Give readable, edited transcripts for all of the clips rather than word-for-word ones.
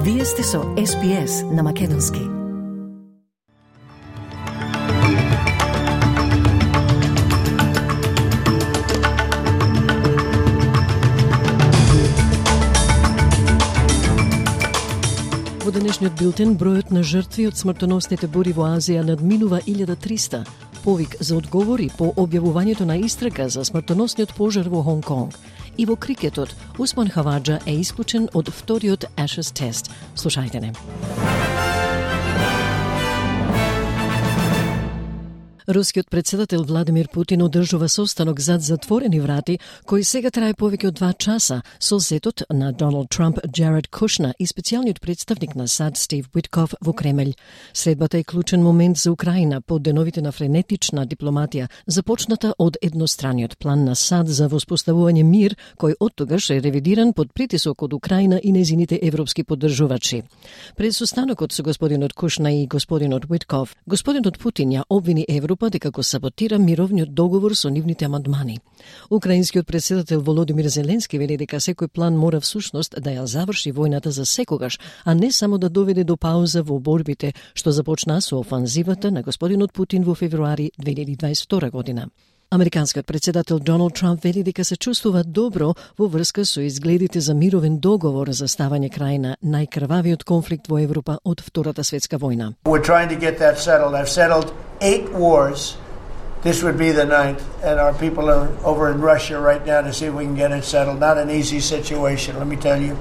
Вие сте со SPS на македонски. Во денешниот билтен, бројот на жртви од смртоносните бури во Азија надминува 1300. Повик за одговори по објавувањето на истрага за смртоносниот пожар во Хонг Конг. И во крикетот, Усман Хаваџа е исклучен од вториот Ashes тест. Слушајте не. Рускиот председател Владимир Путин одржува состанок зад затворени врати, кој сега трае повеќе од 2 часа со зетот на Доналд Трамп, Джаред Кушнер и специјалниот представник на САД Стив Уитков во Кремљ. Средбата е клучен момент за Украина по деновите на френетична дипломатија, започната од едностраниот план на САД за воспоставување мир, кој оттогаш е ревидиран под притисок од Украина и незините европски поддржувачи. Пред состанокот со господинот Кушнер и господинот Уитков, господинот Путин ја обвини Европа дека го саботира мировниот договор со нивните амандмани. Украинскиот председател Володимир Зеленски вели дека секој план мора всушност да ја заврши војната за секогаш, а не само да доведе до пауза во борбите што започна со офанзивата на господинот Путин во февруари 2022 година. Американскиот председател Доналд Трамп вели дека се чувствува добро во врска со изгледите за мировен договор за ставање крај на најкрвавиот конфликт во Европа од Втората светска војна. We're trying to get that settled. I've settled 8 wars. This would be the 9th, and our people are over in Russia right now to see if we can get it settled. Not an easy situation. Let me tell you,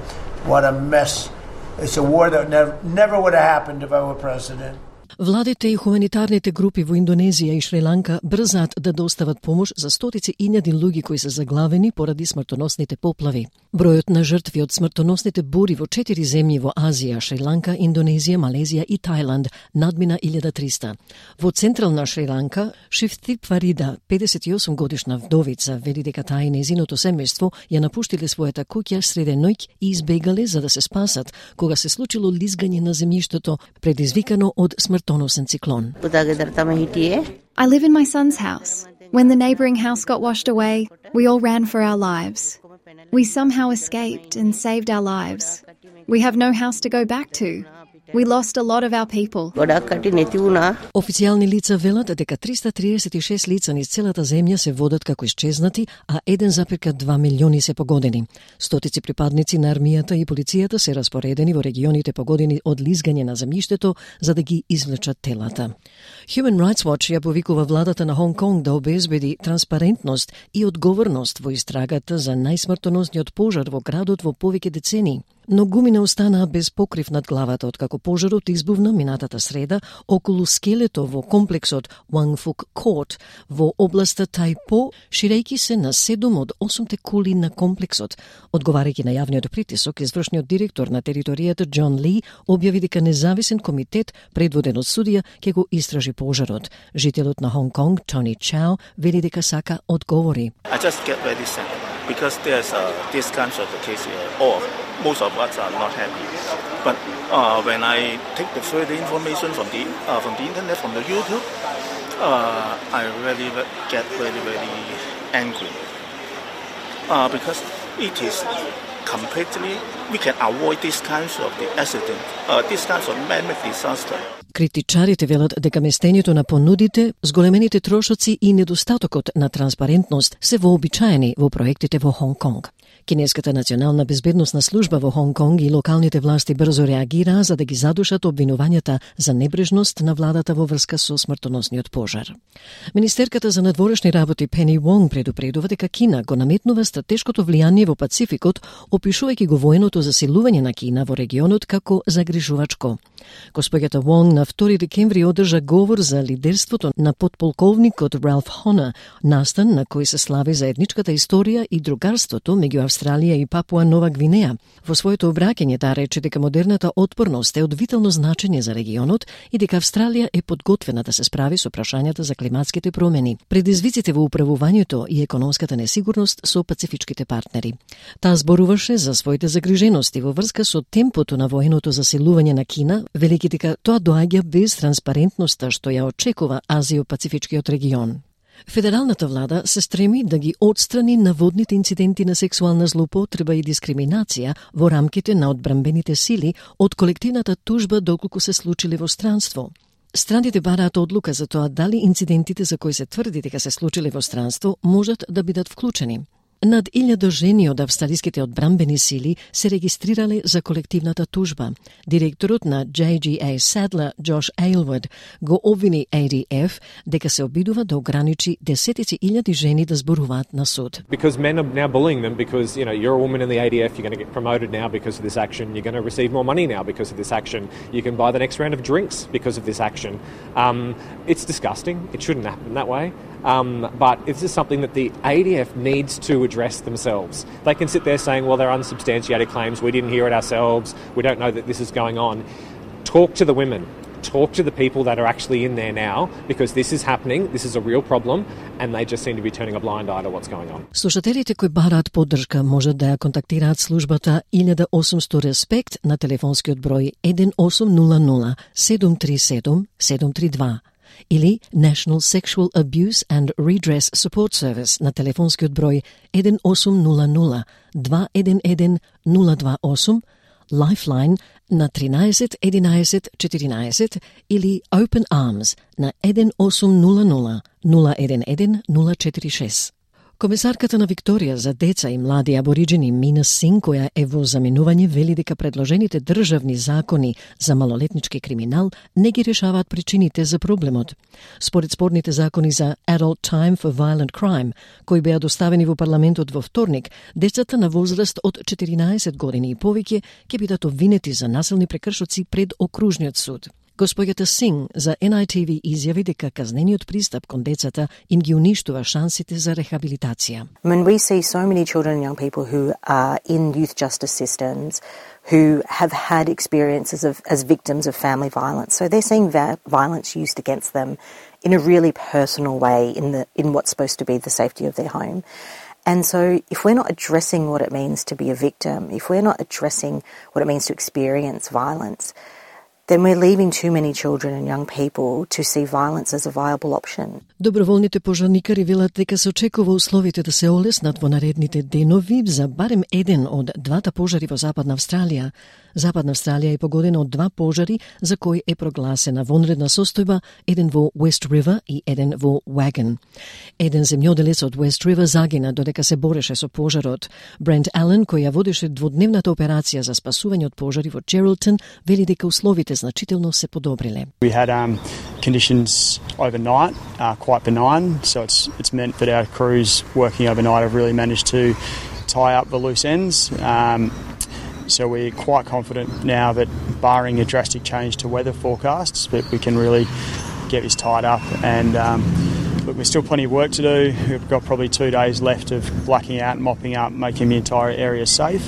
what a mess. It's a war that never would have happened if I were president. Владите и хуманитарните групи во Индонезија и Шри-Ланка брзаат да достават помош за стотици илјади луѓе кои се заглавени поради смртоносните поплави. Бројот на жртви од смртоносните бури во 4 земји во Азија, Шри-Ланка, Индонезија, Малезија и Тајланд надмина 1300. Во централна Шри-Ланка, Шифтип Фарида, 58 годишна вдовица, вели дека таа и незиното семејство ја напуштиле својата куќа среде ноќ и избегале за да се спасат кога се случило лизгање на земјиштето предизвикано од смртоносен циклон. I live in my son's house. When the neighbouring house got washed away, we all ran for our lives. We somehow escaped and saved our lives. We have no house to go back to. We lost a lot of our people. Официјални лица велат дека 336 лица низ целата земја се водат како исчезнати, а 1,2 милиони се погодени. Стотици припадници на армијата и полицијата се распоредени во регионите погодени од лизгање на земјиштето за да ги извлечат телата. Human Rights Watch ја повикува владата на Хонг Конг да обезбеди транспарентност и одговорност во истрагата за најсмртоносниот пожар во градот во повеќе децении. Но гумина останаа без покрив над главата откако пожарот избувна минатата среда околу скелето во комплексот Wangfuk Court во областа Тајпо, ширејќи се на 7 од 8 кули на комплексот. Одговарајќи на јавниот притисок, извршниот директор на територијата Џон Ли објави дека независен комитет предводен од судија ќе го истражи пожарот. Жителот на Хонг Конг, Тони Чао, вели дека сака одговори. I just get very sad because there's this kind of case most of us are not happy. But when I take the further information from the internet, from the YouTube, I really get very angry because it is completely we can avoid this kinds of the accident, this kinds of man-made disaster. Критичарите велат дека местењето на понудите, зголемените трошоци и недостатокот на транспарентност се вообичаени во проектите во Хонг Конг. Кинеската национална безбедносна служба во Хонг Конг и локалните власти брзо реагираа за да ги задушат обвинувањата за небрежност на владата во врска со смртоносниот пожар. Министерката за надворешни работи Пени Вонг предупредува дека Кина го наметнува стратешкото влијание во Пацификот, опишувајќи го военото засилување на Кина во регионот како загрижувачко. Госпоѓата Вонг на 2 декември одржа говор за лидерството на подполковникот Ралф Хонер, настан на кој се слави заедничката историја и другарството меѓу Австралија и Папуа Нова Гвинеја. Во своето обраќање таа рече дека модерната отпорност е од витално значење за регионот и дека Австралија е подготвена да се справи со прашањата за климатските промени, предизвиците во управувањето и економската несигурност со пацифичките партнери. Таа зборуваше за своите загрижености во врска со темпото на военото засилување на Кина, велики дека тоа доаѓа без транспарентноста што ја очекува Азио-Пацифичкиот регион. Федералната влада се стреми да ги отстрани наводните инциденти на сексуална злоупотреба и дискриминација во рамките на одбранбените сили од колективната тужба доколку се случиле во странство. Страните бараат одлука за тоа дали инцидентите за кои се тврди дека се случиле во странство можат да бидат вклучени. Над 1000 жени од австралиските одбранбени сили се регистрирале за колективната тужба. Директорот на JGA Sadler, Josh Aylward, го обвини ADF дека се обидува да ограничи десетици илјади жени да зборуваат на суд. Because men are now bullying them because, you're a woman in the ADF, you're going to get promoted now because of this action, you're going to receive more money now because of this action, you can buy the next round of drinks because of this action. It's disgusting. It shouldn't happen that way. But this is something that the ADF needs to address themselves. They can sit there saying, well, they're unsubstantiated claims, we didn't hear it ourselves, we don't know that this is going on. Talk to the women. Talk to the people that are actually in there now, because this is happening, this is a real problem, and they just seem to be turning a blind eye to what's going on. Слушателите кои бараат поддршка можат да ја контактираат службата 1800 Респект на телефонскиот број 1800 737 732 или National Sexual Abuse and Redress Support Service на телефонскиот број 1800 211 028, Lifeline на 13 11 14 или Open Arms на 1800 011 046. Комесарката на Викторија за деца и млади абориджени Мина Синг, која е во заминување, вели дека предложените државни закони за малолетнички криминал не ги решаваат причините за проблемот. Според спорните закони за Adult Time for Violent Crime, кои беа доставени во парламентот во вторник, децата на возраст од 14 години и повеќе ќе бидат обвинети за насилни прекршоци пред окружниот суд. Госпоѓата Синг за NITV изјави дека казнениот пристап кон децата им ги уништува шансите за рехабилитација. When we see so many children and young people who are in youth justice systems who have had experiences as victims of family violence. So they're seeing violence used against them in a really personal way in what's supposed to be the safety of their home. And so if we're not addressing what it means to be a victim, if we're not addressing what it means to experience violence, then we're leaving too many children and young people to see violence as a viable option. Доброволните пожарникари велат дека се очекува условите да се олеснат во наредните денови за барем еден од двата пожари во Западна Австралија. Западна Австралија е погодена од два пожари за кои е прогласена вонредна состојба, еден во West River и еден во Wagon. Еден земјоделец од West River загина додека се бореше со пожарот. Брент Ален, кој ја водеше дводневната операција за спасување од пожари во Geraldton, вели дека условите значително се подобриле. We had conditions overnight, quite benign, so it's meant that our crews working overnight have really managed to tie up the loose ends. So we're quite confident now that barring a drastic change to weather forecasts, that we can really get this tied up. And look, there's still plenty of work to do. We've got probably 2 days left of blacking out, mopping up, making the entire area safe.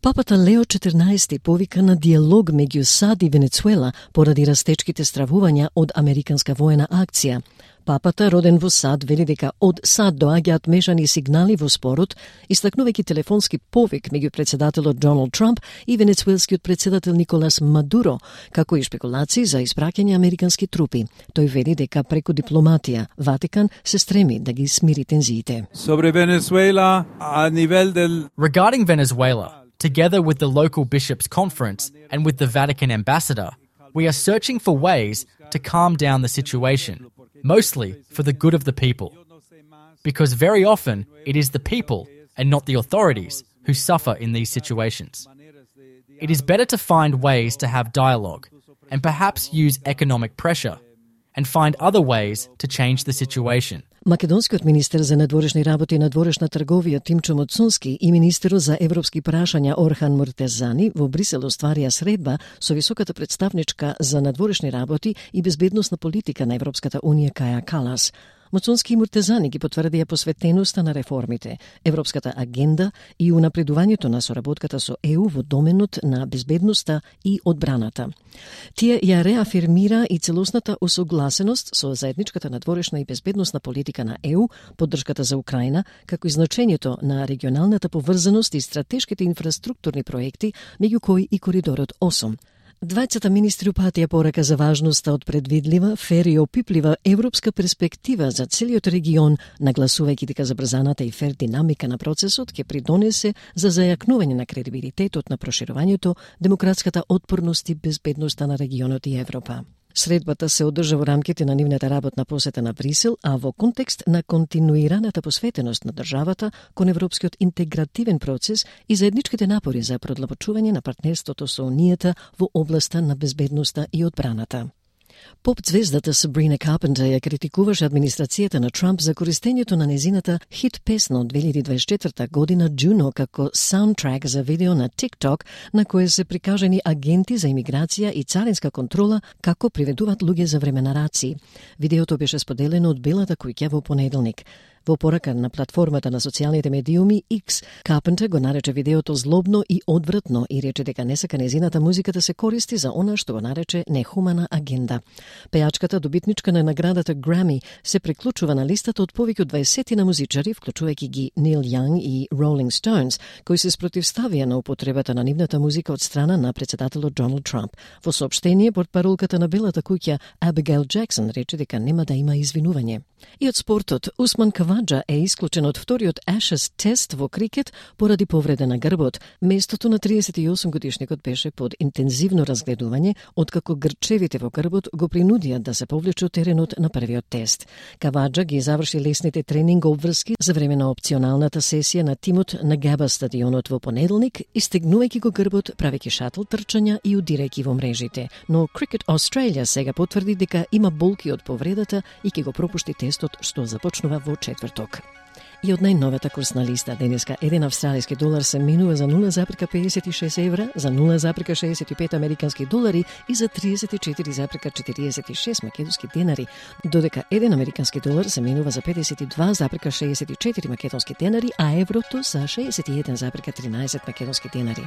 Папата Лео 14 повика на диалог меѓу САД и Венецуела поради растечките стравувања од американска воена акција. Папата, роден во САД, вели дека од САД доаѓаат мешани сигнали во спорот, истакнувајќи телефонски повик меѓу председателот Доналд Трамп и венецуелскиот председател Николас Мадуро, како и шпекулации за испраќање американски трупи. Тој вели дека преку дипломатија Ватикан се стреми да ги смири тензиите. Regarding Venezuela, together with the local bishops' conference and with the Vatican ambassador, we are searching for ways to calm down the situation, mostly for the good of the people. Because very often it is the people and not the authorities who suffer in these situations. It is better to find ways to have dialogue and perhaps use economic pressure and find other ways to change the situation. Македонскиот министер за надворешни работи и надворешна трговија Тимчо Моцунски и министерот за европски прашања Орхан Муртезани во Брисел остварија средба со високата представничка за надворешни работи и безбедносна политика на Европската унија Каја Калас. Моцунски и Муртезани ги потврдија посветеноста на реформите, европската агенда и унапредувањето на соработката со ЕУ во доменот на безбедноста и одбраната. Тие ја реафирмира и целосната усогласеност со заедничката надворешна и безбедносна политика на ЕУ, поддршката за Украина, како и значењето на регионалната поврзаност и стратешките инфраструктурни проекти, меѓу кои и коридорот 8. Двајцата министри упатија порака за важноста од предвидлива, фер и опиплива европска перспектива за целиот регион, нагласувајќи дека забрзаната и фер динамика на процесот ќе придонесе за зајакнување на кредибилитетот на проширувањето, демократската отпорност и безбедноста на регионот и Европа. Средбата се одржа во рамките на нивната работна посета на Брисел, а во контекст на континуираната посветеност на државата кон европскиот интегративен процес и заедничките напори за продлабочување на партнерството со Унијата во областа на безбедноста и одбраната. Поп-звездата Сабрина Карпентер ја критикуваше администрацијата на Трамп за користењето на незината хит песна од 2024 година Juno како саундтрак за видео на TikTok на кое се прикажани агенти за имиграција и царинска контрола како приведуваат луѓе за време на раци. Видеото беше споделено од Белата куќа во понеделник. Во порака на платформата на социјалните медиуми X, Карпентер го нарече видеото злобно и одвратно и рече дека не сака незината музика да се користи за она што го нарече нехумана агенда. Пејачката, добитничка на наградата Грами, се приклучува на листата од повеќе од 20 на музичари, вклучувајќи ги Нил Јанг и Rolling Stones, кои се спротивставија на употребата на нивната музика од страна на председателот Доналд Трамп. Во соопштение, портпаролката на Белата куќа Абигейл Джексон рече дека нема да има извинување. И од спортот, Усман Каваджа е исклучен од вториот Ashes тест во крикет поради повреда на грбот. Местото на 38 годишникот беше под интензивно разгледување, откако грчевите во грбот го принудија да се повлече од теренот на првиот тест. Каваджа ги заврши лесните тренинг обврски за време на опционалната сесија на тимот на Габа стадионот во понеделник, истегнувајќи го грбот, правејќи шатл трчања и удирајќи во мрежите. Но Cricket Australia сега потврди дека има болки од повредата и ќе го пропушти тестот што започнува во четврток. И од најновата курсна листа, денеска 1 австралиски долар се менува за 0,56 евра, за 0,65 американски долари и за 34,46 македонски денари, додека 1 американски долар се менува за 52,64 македонски денари, а еврото за 61,13 македонски денари.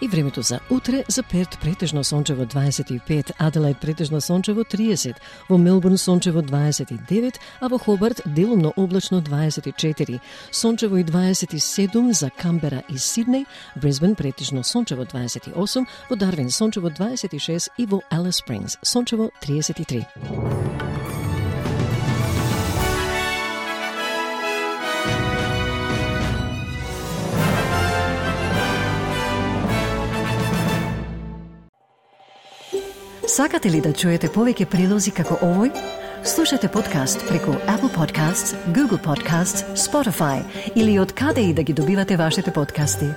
И времето за утре: за Перт претежно сончево 25, Аделаид претежно сончево 30, во Мелбурн сончево 29, а во Хобарт делумно облачно 24, сончево и 27 за Камбера и Сиднеј, Брисбен претежно сончево 28, во Дарвин сончево 26 и во Алис Спрингс сончево 33. Сакате ли да чуете повеќе прилози како овој? Слушате подкаст преку Apple Podcasts, Google Podcasts, Spotify или од каде и да ги добивате вашите подкасти.